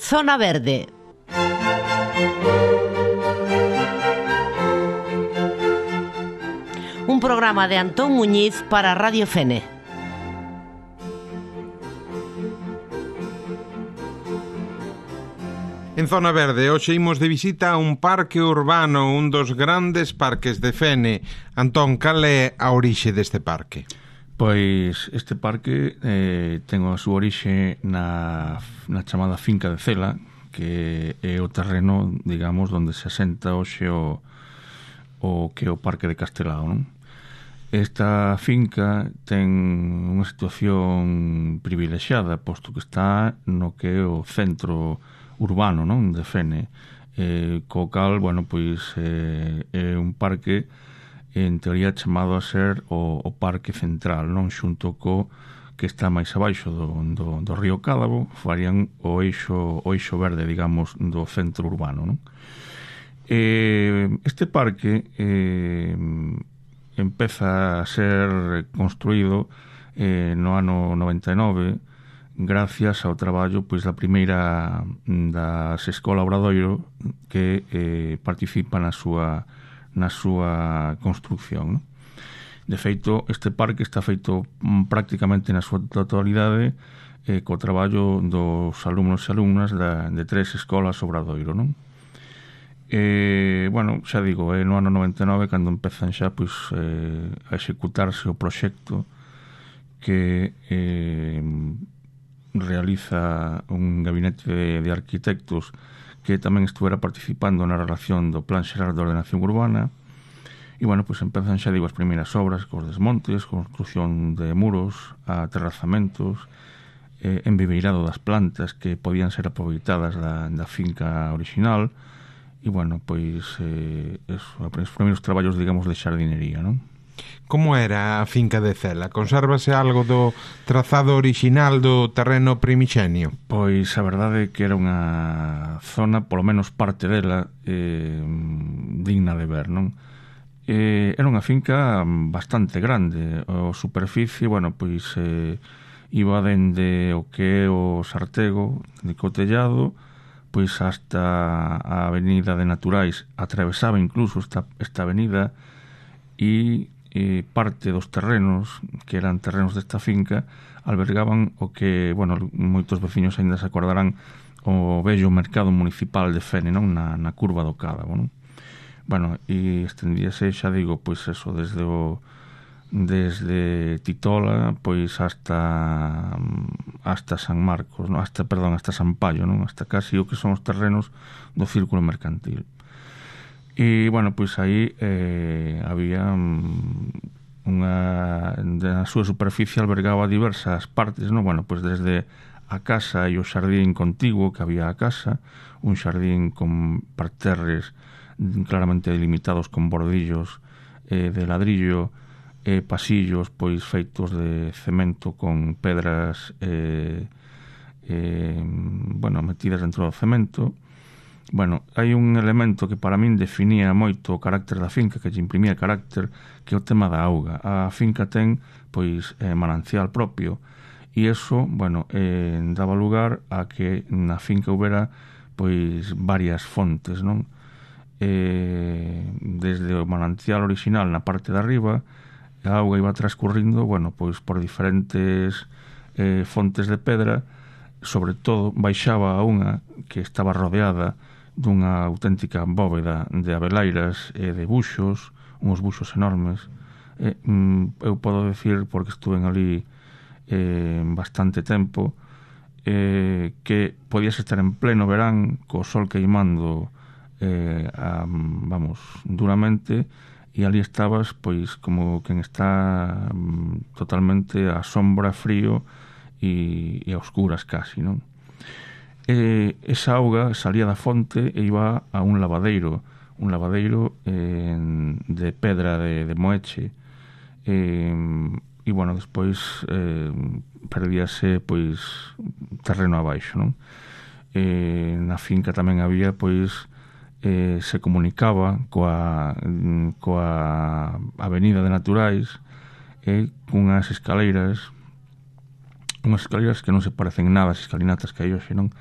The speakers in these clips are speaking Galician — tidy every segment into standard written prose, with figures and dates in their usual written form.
Zona Verde. Un programa de Antón Muñiz para Radio Fene. En Zona Verde, hoxe imos de visita a un parque urbano, un dos grandes parques de Fene. Antón, cal é a orixe deste parque? Pois este parque ten a súa orixe na chamada Finca de Cela, que é o terreno, digamos, onde se asenta hoxe o que é o Parque de Castelao, non? Esta finca ten unha situación privilexiada, posto que está no que é o centro urbano, non, de Fene, co cal, bueno, pois é un parque en teoría chamado a ser o parque central, non, xunto co que está máis abaixo do río Cádabo, farían o eixo verde, digamos, do centro urbano, non? Este parque empeza a ser construído no ano 99 gracias ao traballo pois da primeira das Escola Obradoiro que participa na súa construcción, non? De feito, este parque está feito prácticamente na súa totalidade co traballo dos alumnos e alumnas de 3 escolas Obradoiro, non? Bueno, xa digo, no ano 99 cando empezan xa pois a executarse o proxecto que realiza un gabinete de arquitectos que tamén estuvera participando na relación do Plan Xeral de Ordenación Urbana. E, bueno, pois empezan, xa digo, as primeiras obras cos desmontes, construcción de muros, aterrazamentos, embibeirado das plantas que podían ser aproveitadas da finca original e, bueno, pois os primeiros traballos, digamos, de xardinería, non? Como era a finca de Cela? Consérvase algo do trazado original do terreno primixenio? Pois a verdade é que era unha zona, polo menos parte dela, digna de ver, non? Era unha finca bastante grande. A superficie, bueno, pois iba dende o que é o Sartego de Cotellado pois hasta a avenida de Naturais, atravesaba incluso esta avenida e parte dos terrenos que eran terrenos desta finca albergaban o que, bueno, moitos veciños ainda se acordarán, o vello mercado municipal de Fene, non? Na curva do Cádabo, non? Bueno, e estendíase, xa digo, pois eso, desde Titola pois hasta San Marcos, non? hasta San Paio, non? Hasta casi o que son os terrenos do círculo mercantil. E, bueno, pois aí había na súa superficie albergaba diversas partes, non? Bueno, pois desde a casa e o xardín contiguo que había a casa, un xardín con parterres claramente delimitados con bordillos de ladrillo, pasillos pois feitos de cemento con pedras bueno, metidas dentro do cemento. Bueno, hai un elemento que para min definía moito o carácter da finca, que lle imprimía carácter, que é o tema da auga. A finca ten pois manancial propio e eso, bueno, daba lugar a que na finca houbera pois varias fontes, non? Desde o manancial original na parte de arriba, a auga iba transcurrindo, bueno, pois por diferentes fontes de pedra, sobre todo baixaba a unha que estaba rodeada dunha auténtica bóveda de abeleiras e de buxos, uns buxos enormes. Eu podo decir, porque estuve ali bastante tempo, que podías estar en pleno verán co sol queimando vamos, duramente, e ali estabas pois como quen está totalmente a sombra, frío e a oscuras casi, non? Esa auga salía da fonte e iba a un lavadeiro de pedra de moeche, e, bueno, despois perdíase pois terreno abaixo, non? Na finca tamén había pois se comunicaba coa avenida de Naturais cunhas escaleiras que non se parecen nada as escalinatas que hai hoxe, non?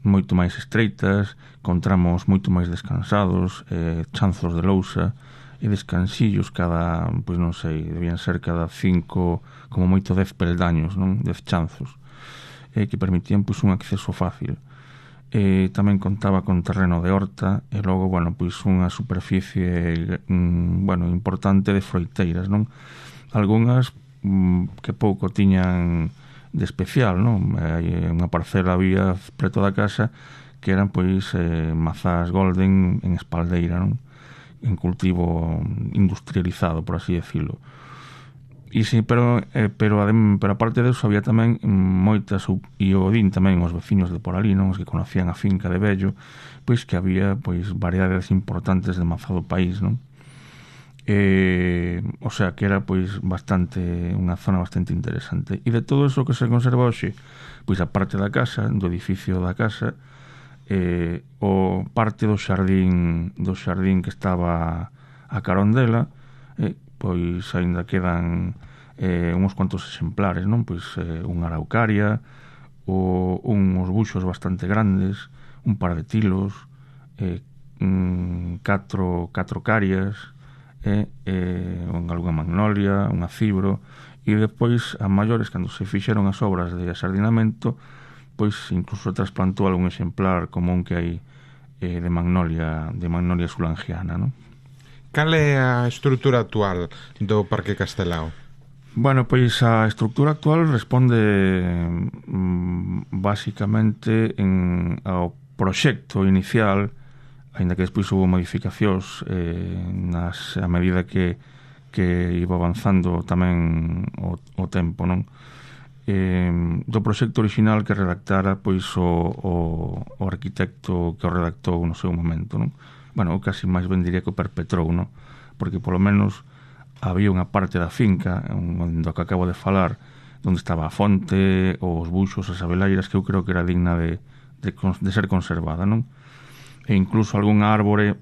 moito máis estreitas, con tramos moito máis descansados, chanzos de lousa e descansillos cada, pois non sei, debían ser cada 5, como moito 10 peldaños, non? 10 chanzos, que permitían pois un acceso fácil. Tamén contaba con terreno de horta e logo, bueno, pois unha superficie importante de froiteiras, non? Algunhas que pouco tiñan de especial, non? Hai unha parcela había preto da casa que eran pois mazás golden en espaldeira, non? En cultivo industrializado, por así decirlo. E sí, pero aparte de eso había tamén moitas, e o din tamén os veciños de por ali, non? Os que conocían a finca de vello, pois que había pois variedades importantes de mazá do país, non? O sea que era pois unha zona bastante interesante. E de todo eso que se conserva hoxe, pois a parte da casa, do edificio da casa, o parte do xardín que estaba a carón dela, pois aínda quedan uns cuantos exemplares, non? Pois unha araucaria, uns buxos bastante grandes, un par de tilos, 4 carias, algunha magnolia, unha cibro, e depois a maiores, cando se fixeron as obras de asardinamento, pois incluso trasplantou algún exemplar común que hai de magnolia sulangiana, non? Cal é a estrutura actual do Parque Castelao? Bueno, pois a estrutura actual responde basicamente ao proxecto inicial, aínda que despois houve modificacións a medida que iba avanzando tamén o tempo, non? Do proxecto original que redactara pois o arquitecto que o redactou no seu momento, non? Bueno, casi máis ben diría que o perpetrou, non? Porque polo menos había unha parte da finca onde que acabo de falar, onde estaba a fonte, os buxos, as abeleiras, que eu creo que era digna de ser conservada, non? E incluso algunha árbore,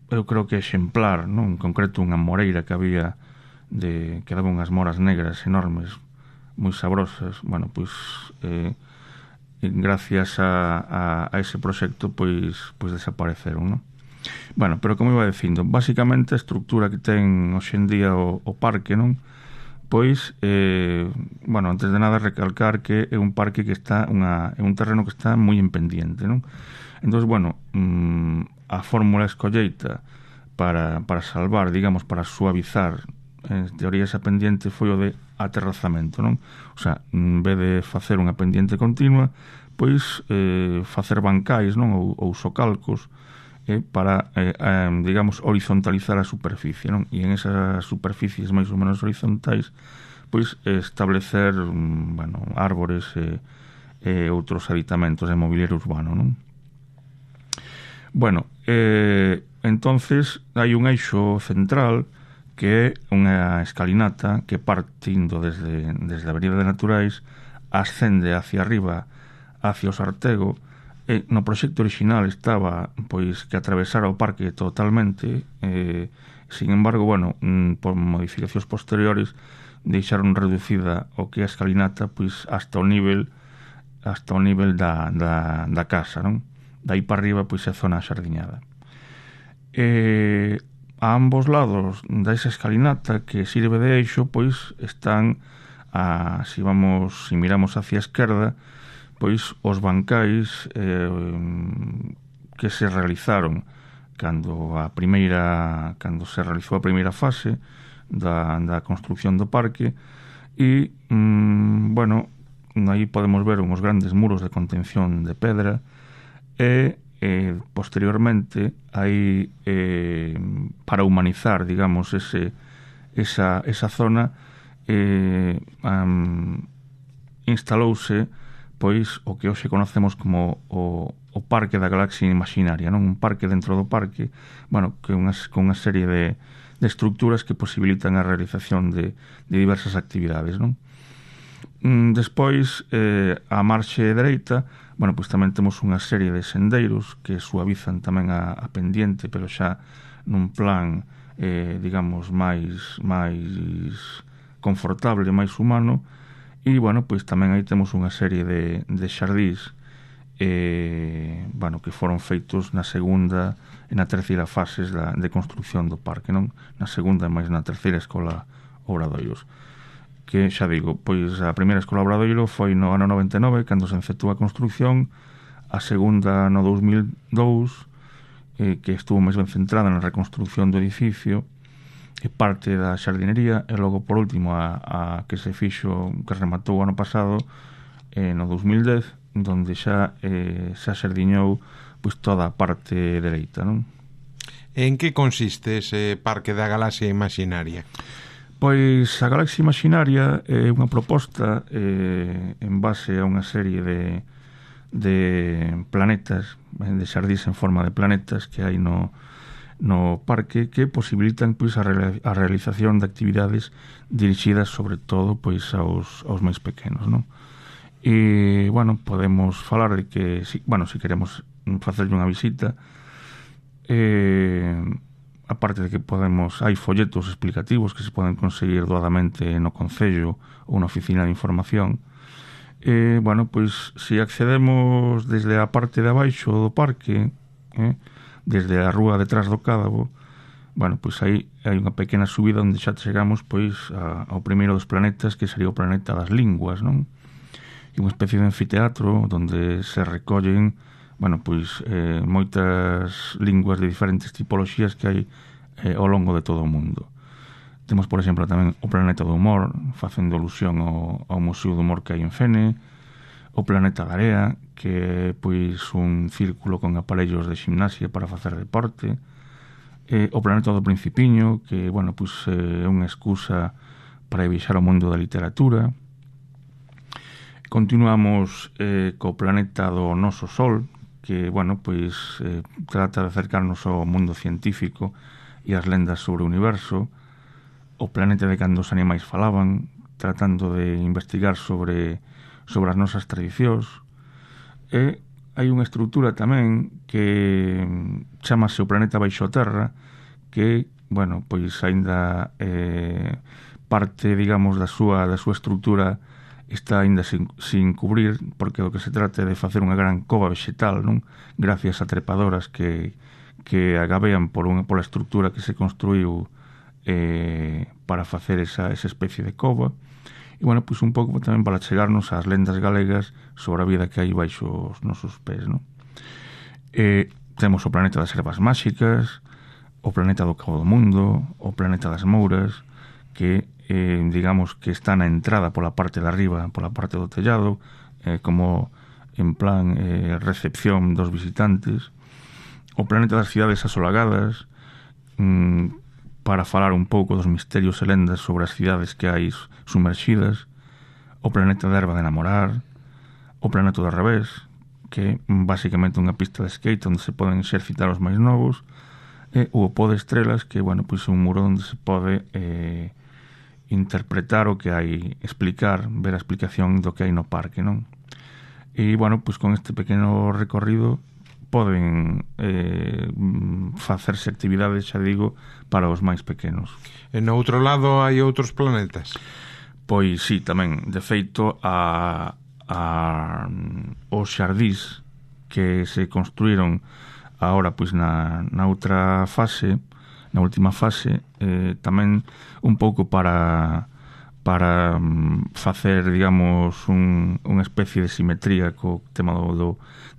eu creo que exemplar, non? En concreto unha moreira que había que daba unhas moras negras enormes, moi sabrosas. Bueno, pois gracias a ese proxecto pois desapareceron, non? Bueno, pero como iba dicindo, basicamente a estructura que ten hoxe en día o parque, non? Pois, antes de nada recalcar que é un parque que está é un terreno que está moi en pendiente, non? Entón, a fórmula escolleita para salvar, digamos, para suavizar en teoría esa pendiente foi o de aterrazamento, non? O sea, en vez de facer unha pendiente continua, pois facer bancais, non? Ou socalcos para, digamos, horizontalizar a superficie, non? E en esas superficies máis ou menos horizontais, pois establecer, árbores e outros habitamentos de mobiliario urbano, non? Bueno, entonces hai un eixo central que é unha escalinata que partindo desde a Avenida de Naturais ascende hacia arriba, hacia o Sartego, e no proxecto original estaba pois que atravesara o parque totalmente, sin embargo, por modificacións posteriores deixaron reducida o que é a escalinata pois hasta o nivel da casa, non? Dai para arriba pois é a zona xardiñada. A ambos lados desa escalinata que sirve de eixo, pois están si miramos hacia a esquerda, pois os bancais que se realizaron cando se realizou a primeira fase da construción do parque, e aí podemos ver uns grandes muros de contención de pedra, e posteriormente aí para humanizar, digamos, esa zona instalouse pois o que hoxe conocemos como o Parque da Galaxia Imaginaria, non? Un parque dentro do parque, con unha serie de estructuras que posibilitan a realización de diversas actividades, non? Despois, a marxe dereita, pois tamén temos unha serie de sendeiros que suavizan tamén a pendiente, pero xa nun plan, digamos, máis confortable, máis humano. E, pois tamén aí temos unha serie de xardís bueno, que foron feitos na segunda e na terceira fases de construcción do parque, non? Na segunda e máis na terceira escola Obradoiros, que xa digo, pois a primeira escola Obradoiro foi no ano 99 cando se efectuou a construcción, a segunda no 2002 que estuvo máis ben centrada na reconstrucción do edificio e parte da xardinería, e logo por último a que se fixo, que rematou o ano pasado no 2010, donde xa se xardiñou pois toda a parte dereita, non? En que consiste ese Parque da Galaxia Imaxinaria? Pois a Galaxia Imaxinaria é unha proposta en base a unha serie de planetas, de xardís en forma de planetas que hai no parque, que posibilitan pois a realización de actividades dirixidas sobre todo pois aos máis pequenos, non? E, bueno, podemos falar de que, si queremos facerlle unha visita, aparte de que hai folletos explicativos que se poden conseguir doadamente no Concello ou na Oficina de Información. Bueno, pois, se accedemos desde a parte de abaixo do parque, desde a rúa detrás do Cádabo, bueno, pois aí hai unha pequena subida onde xa chegamos pois ao primeiro dos planetas, que sería o planeta das linguas, non? E unha especie de anfiteatro onde se recollen, bueno, pois moitas linguas de diferentes tipoloxías que hai ao longo de todo o mundo. Temos, por exemplo, tamén o planeta do humor, facendo alusión ao Museo do Humor que hai en Fene, o planeta da area, que é pois un círculo con aparellos de gimnasia para facer deporte, o planeta do Principiño, que, bueno, pois é unha excusa para viaxar ao mundo da literatura. Continuamos co planeta do noso Sol, que, bueno, pois trata de acercarnos ao mundo científico e as lendas sobre o universo. O planeta de cando os animais falaban, tratando de investigar sobre as nosas tradicións. E hai unha estrutura tamén que chamase o planeta baixo a terra, que, bueno, pois aínda parte, digamos, da súa estrutura está aínda sin cubrir, porque o que se trata é de facer unha gran cova vegetal, non? Gracias a trepadoras que agabean pola estrutura que se construiu para facer esa especie de cova. E, bueno, pois un pouco tamén para chegarnos ás lendas galegas sobre a vida que hai baixo os nosos pés, non? Temos o planeta das ervas máxicas, o planeta do Cabo do Mundo, o planeta das Mouras, que digamos que está na entrada pola parte de arriba, pola parte do tellado, como en plan recepción dos visitantes. O planeta das cidades asolagadas, para falar un pouco dos misterios e lendas sobre as cidades que hai sumerxidas. O planeta da erva de namorar, o planeta do revés, que é basicamente unha pista de skate onde se poden exercitar os máis novos, e o pó de estrelas, que, bueno, pois é un muro onde se pode interpretar o que hai, ver a explicación do que hai no parque, non? E, bueno, pois con este pequeno recorrido poden facerse actividades, xa digo, para os máis pequenos. E no outro lado hai outros planetas? Pois sí, tamén. De feito, os xardís que se construíron agora pois na outra fase, na última fase, tamén un pouco para facer, digamos, unha especie de simetría co tema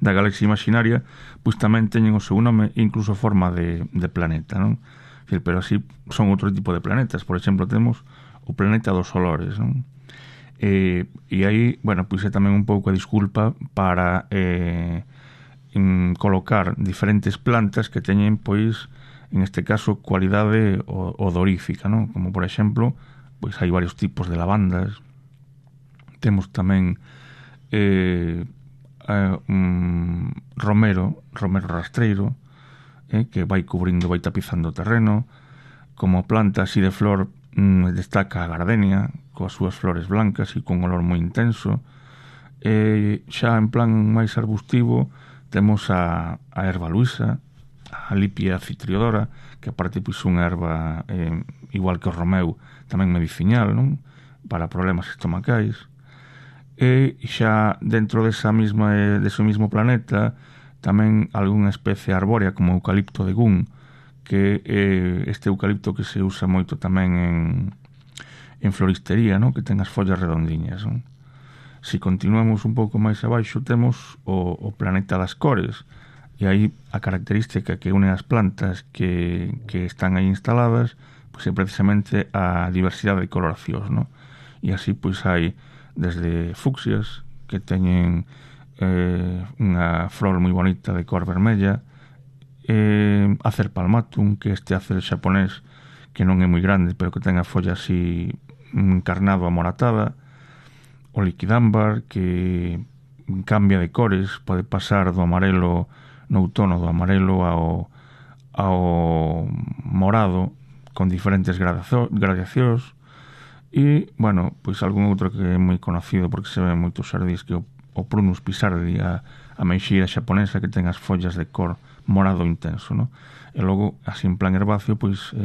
da Galaxia Imaxinaria, pois tamén teñen o seu nome e incluso forma de planeta, non? Pero así son outro tipo de planetas. Por exemplo, temos o planeta dos olores, non? E aí, bueno, pois é tamén un pouco a disculpa para colocar diferentes plantas que teñen, pois, en este caso, cualidade odorífica, non? Como, por exemplo, pois hai varios tipos de lavandas. Temos tamén romero rastreiro, que vai cubrindo, vai tapizando o terreno. Como planta así de flor destaca a gardenia, coas súas flores blancas e con olor moi intenso. Xa en plan máis arbustivo temos a erva luisa, a Lipia citriodora, que aparte pois unha erva igual que o romeu, tamén medicinal, non? Para problemas estomacais. e xa dentro dese mesmo planeta tamén algunha especie arbórea como o eucalipto de Gun, que este eucalipto que se usa moito tamén en floristería, ¿no? Que ten as follas redondiñas, ¿no? Si continuamos un pouco máis abaixo temos o planeta das cores, e aí a característica que une as plantas que están aí instaladas pois é precisamente a diversidade de coloracións, ¿no? E así pois hai desde fucsias que teñen unha flor moi bonita de cor vermella, Acer palmatum, que este acer xaponés que non é moi grande pero que ten a folla así encarnado amoratada, o liquidámbar que cambia de cores, pode pasar do amarelo no outono, do amarelo ao morado con diferentes gradacións. E, bueno, pois algún outro que é moi conocido porque se ve moitos xardís, que o Prunus pisardi, a meixeira xaponesa que ten as follas de cor morado intenso, ¿no? E logo, así en plan herbáceo, pois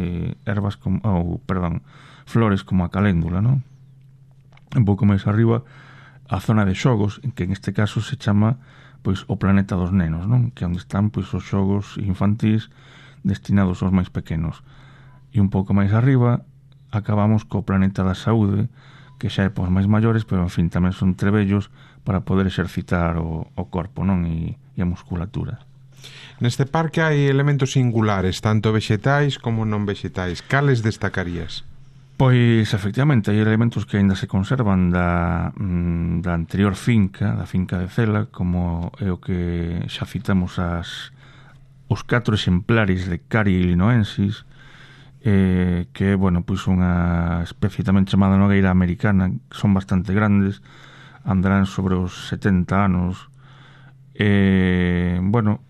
flores como a caléndula, ¿no? Un pouco máis arriba a zona de xogos, que en este caso se chama pois o planeta dos nenos, non? Que é onde están pois os xogos infantís destinados aos máis pequenos. E un pouco máis arriba acabamos co planeta da saúde, que xa é pos máis maiores, pero en fin, tamén son trebellos para poder exercitar o corpo, non? E a musculatura. Neste parque hai elementos singulares, tanto vexetais como non vexetais. Cales destacarías? Pois, efectivamente, hai elementos que aínda se conservan da anterior finca, da finca de Cela, como é o que xa citamos os 4 exemplares de Cari illinoensis, que é, bueno, pois unha especie tamén chamada nogueira americana, que son bastante grandes, andarán sobre os 70 anos. Bueno,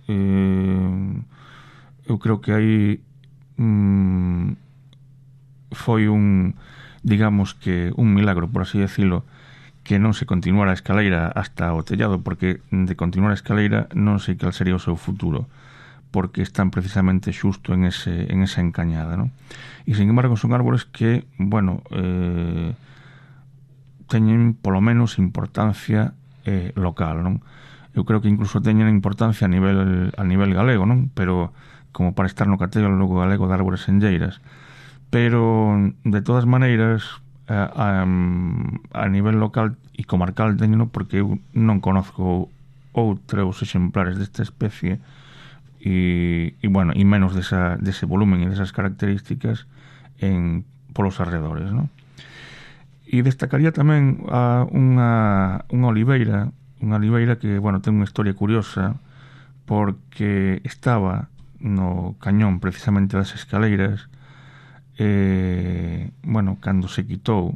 eu creo que aí foi digamos que un milagro, por así decirlo, que non se continuara a escaleira hasta o tellado, porque de continuar a escaleira non sei cal sería o seu futuro, porque están precisamente xusto en esa encañada, ¿no? E, sin embargo, son árbores que, bueno, teñen polo menos importancia local, non? Eu creo que incluso teñen importancia a nivel galego, non? Pero como para estar no catálogo galego de árbores senlleiras. Pero, de todas maneiras, a nivel local e comarcal teñeno, porque eu non conozco outros exemplares desta especie e bueno, e menos dese volumen e desas características polos arredores, non? E destacaría tamén unha oliveira que, bueno, ten unha historia curiosa, porque estaba no cañón precisamente das escaleiras. Bueno, cando se quitou,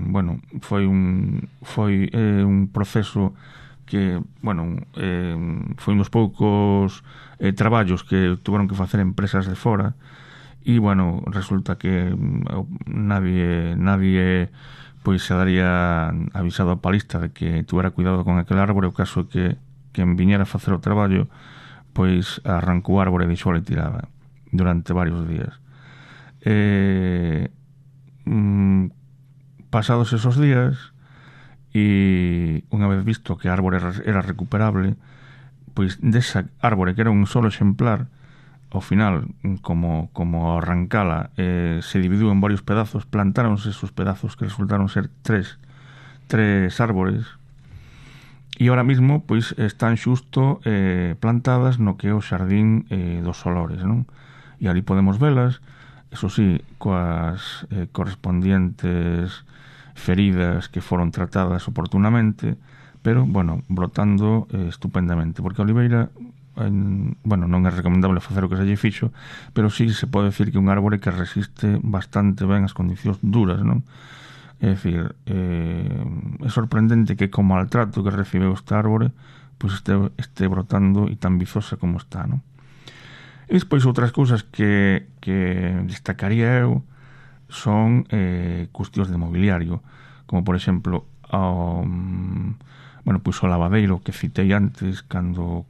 bueno, foi un proceso que, bueno, foi un dos poucos traballos que tuveron que facer empresas de fora, e, bueno, resulta que nadie pois se daría avisado a palista de que tuvera cuidado con aquel árbore. O caso que quen viñera a facer o traballo pois arrancou o árbore e deixou tirada durante varios días. Pasados esos días, e unha vez visto que a árbore era recuperable, pois desa árbore que era un solo exemplar, ao final, como arrancala, se dividiu en varios pedazos, plantáronse esos pedazos que resultaron ser tres árbores, e ahora mismo pois están xusto plantadas no que é o xardín dos Olores, non? E ali podemos velas, eso sí, coas correspondientes feridas que foron tratadas oportunamente, pero, bueno, brotando estupendamente, porque a oliveira, bueno, non é recomendable facer o que se lle fixo, pero sí se pode decir que é un árbore que resiste bastante ben as condicións duras, non? É dicir, é sorprendente que co maltrato que recibeu este árbore pois este brotando e tan vizosa como está, non? E despois outras cousas que destacaría eu son cuestións de mobiliario, como por exemplo bueno, pois o lavadeiro que citei antes cando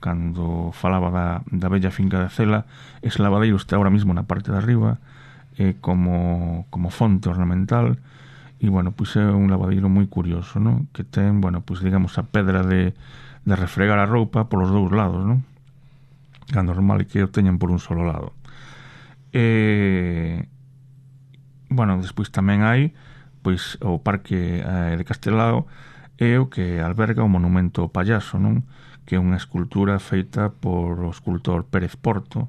falaba da bella finca de Cela. Ese lavadeiro está ahora mismo na parte de arriba como fonte ornamental, e, bueno, pois é un lavadeiro moi curioso, non? Que ten, bueno, pois digamos a pedra de refregar a roupa polos dous lados, non? É normal que o teñan por un solo lado. Bueno, despois tamén hai pois o Parque de Castelao é o que alberga o monumento ao payaso, non? Que é unha escultura feita por o escultor Pérez Porto,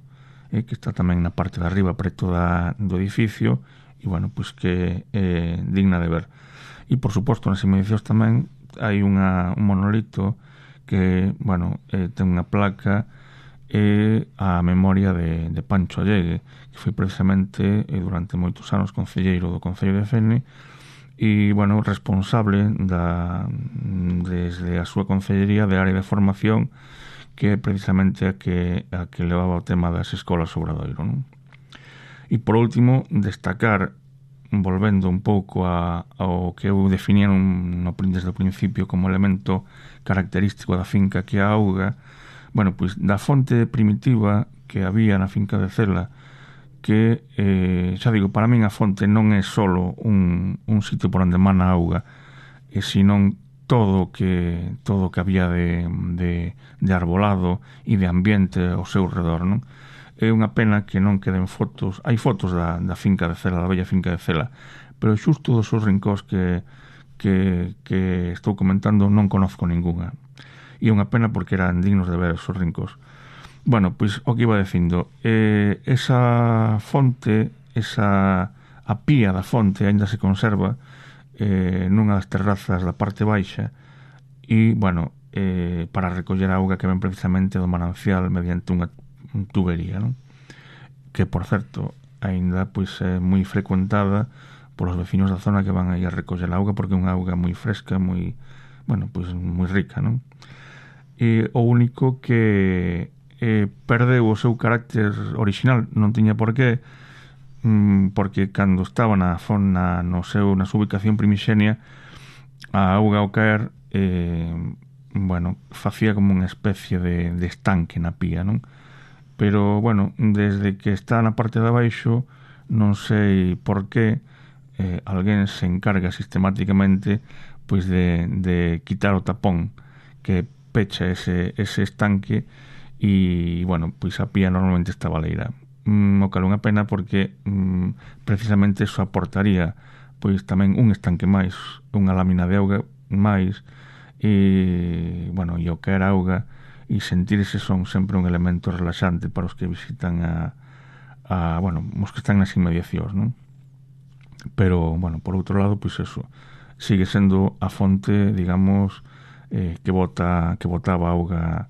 que está tamén na parte de arriba preto do edificio, e, bueno, pois que é digna de ver. E, por suposto, nas inmediacións tamén hai un monolito que, bueno, ten unha placa a memoria de Pancho Allegue, que foi precisamente durante moitos anos concelleiro do Concello de Fene e, bueno, responsable desde a súa concellería de área de formación, que é precisamente a que levaba o tema das escolas Obradoiro, non? E, por último, destacar, volvendo un pouco ao que eu definía desde o principio como elemento característico da finca, que é a auga, bueno, pois da fonte primitiva que había na finca de Cela, que, xa digo, para min a fonte non é solo un sitio por onde emana a auga, senón todo o que había de arbolado e de ambiente ao seu redor, non? É unha pena que non queden fotos. Hai fotos da finca de Cela, da bella finca de Cela, pero xusto dos seus rincóns que estou comentando non conozco ninguna. E é unha pena porque eran dignos de ver os seus rincóns. Bueno, pois o que iba dicindo, esa fonte, a pía da fonte ainda se conserva nunha das terrazas da parte baixa e, bueno, para recoller a auga que ven precisamente do manancial mediante unha tubería, non? Que, por certo, ainda pois é moi frecuentada polos veciños da zona que van aí a recoller a auga, porque é unha auga moi fresca, moi, bueno, pois moi rica, non? E o único que perdeu o seu carácter original, non tiña por qué, porque cando estaba na súa ubicación primixenia, a auga ao caer, bueno, facía como unha especie de estanque na pía, non? Pero, bueno, desde que está na parte de abaixo, non sei por qué, alguén se encarga sistemáticamente pois de quitar o tapón que pecha ese estanque e, bueno, pois a pía normalmente está baleira. O cal unha pena porque precisamente eso aportaría pois tamén un estanque máis, unha lámina de auga máis e, bueno, e o caer auga e sentir ese son sempre un elemento relaxante para os que visitan bueno, os que están nas inmediacións, non? Pero, bueno, por outro lado, pois eso, sigue sendo a fonte, digamos, que botaba auga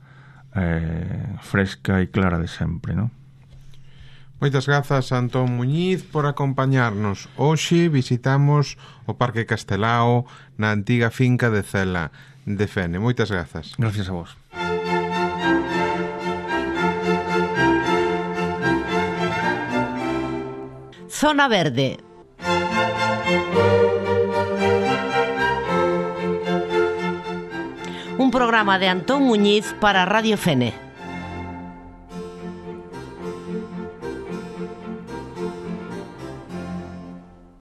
fresca e clara de sempre, non? Moitas grazas, Antón Muñiz, por acompañarnos. Hoxe visitamos o Parque Castelao na antiga finca de Cela de Fene. Moitas grazas. Gracias a vos. Zona Verde. Un programa de Antón Muñiz para Radio Fene.